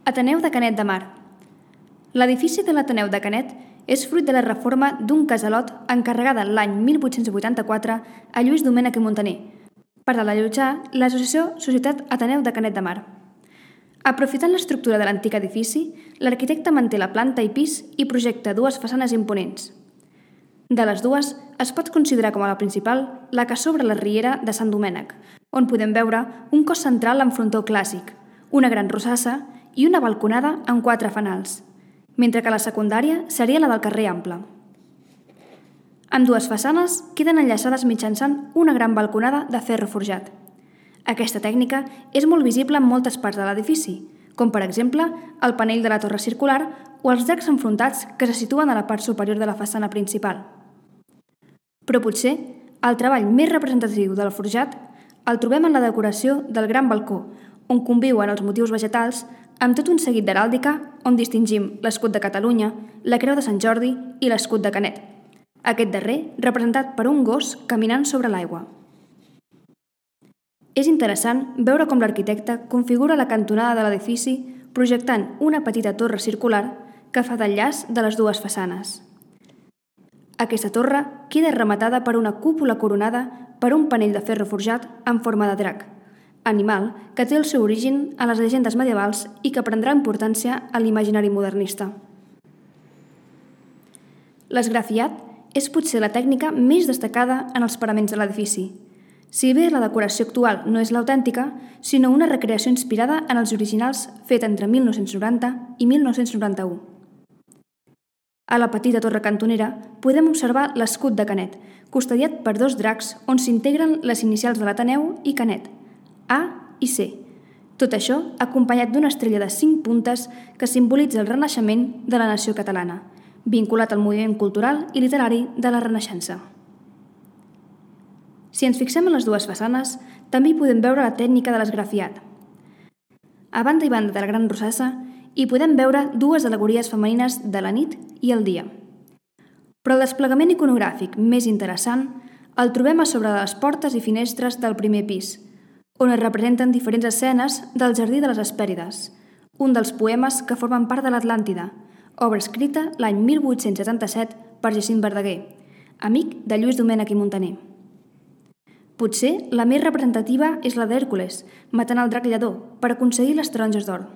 Ateneu de Canet de Mar. L'edifici de l'Ateneu de Canet és fruit de la reforma d'un casalot encarregada l'any 1884 a Lluís Domènech i Muntaner per allotjar l'associació Societat Ateneu de Canet de Mar. Aprofitant l'estructura de l'antic edifici, l'arquitecte manté la planta i pis i projecta dues façanes imponents. De les dues, es pot considerar com a la principal la que s'obre la riera de Sant Domènec, on podem veure un cos central amb frontó clàssic, una gran rosassa i una balconada amb 4 fanals, mentre que la secundària seria la del carrer Ample. Ambdues façanes queden enllaçades mitjançant una gran balconada de ferro forjat. Aquesta tècnica és molt visible en moltes parts de l'edifici, com per exemple el panell de la torre circular o els arcs enfrontats que se situen a la part superior de la façana principal. Però potser el treball més representatiu del forjat el trobem en la decoració del gran balcó, on conviuen els motius vegetals amb tot un seguit d'heràldica on distingim l'escut de Catalunya, la creu de Sant Jordi i l'escut de Canet, aquest darrer representat per un gos caminant sobre l'aigua. És interessant veure com l'arquitecte configura la cantonada de l'edifici projectant una petita torre circular que fa d'enllaç de les dues façanes. Aquesta torre queda rematada per una cúpula coronada per un panell de ferro forjat en forma de drac, animal que té el seu origen a les llegendes medievals i que prendrà importància a l'imaginari modernista. L'esgrafiat és potser la tècnica més destacada en els paraments de l'edifici, si bé la decoració actual no és l'autèntica, sinó una recreació inspirada en els originals feta entre 1990 i 1991. A la petita torre cantonera podem observar l'escut de Canet, custodiat per 2 dracs on s'integren les inicials de l'Ateneu i Canet, A i C. Tot això acompanyat d'una estrella de 5 puntes que simbolitza el renaixement de la nació catalana, vinculat al moviment cultural i literari de la Renaixença. Si ens fixem en les dues façanes, també hi podem veure la tècnica de l'esgrafiat. A banda i banda de la gran rosassa, hi podem veure dues al·legories femenines de la nit i el dia. Però el desplegament iconogràfic més interessant el trobem a sobre de les portes i finestres del primer pis, on es representen diferents escenes del Jardí de les Hespèrides, un dels poemes que formen part de l'Atlàntida, obra escrita l'any 1877 per Jacint Verdaguer, amic de Lluís Domènech i Muntaner. Potser la més representativa és la d'Hèrcules, matant el drac lladó per aconseguir les taronges d'or.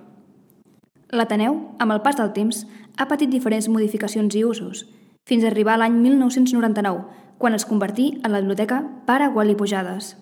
L'Ateneu, amb el pas del temps, ha patit diferents modificacions i usos, fins a arribar a l'any 1999, quan es convertí en la biblioteca Pare Gual i Pujades.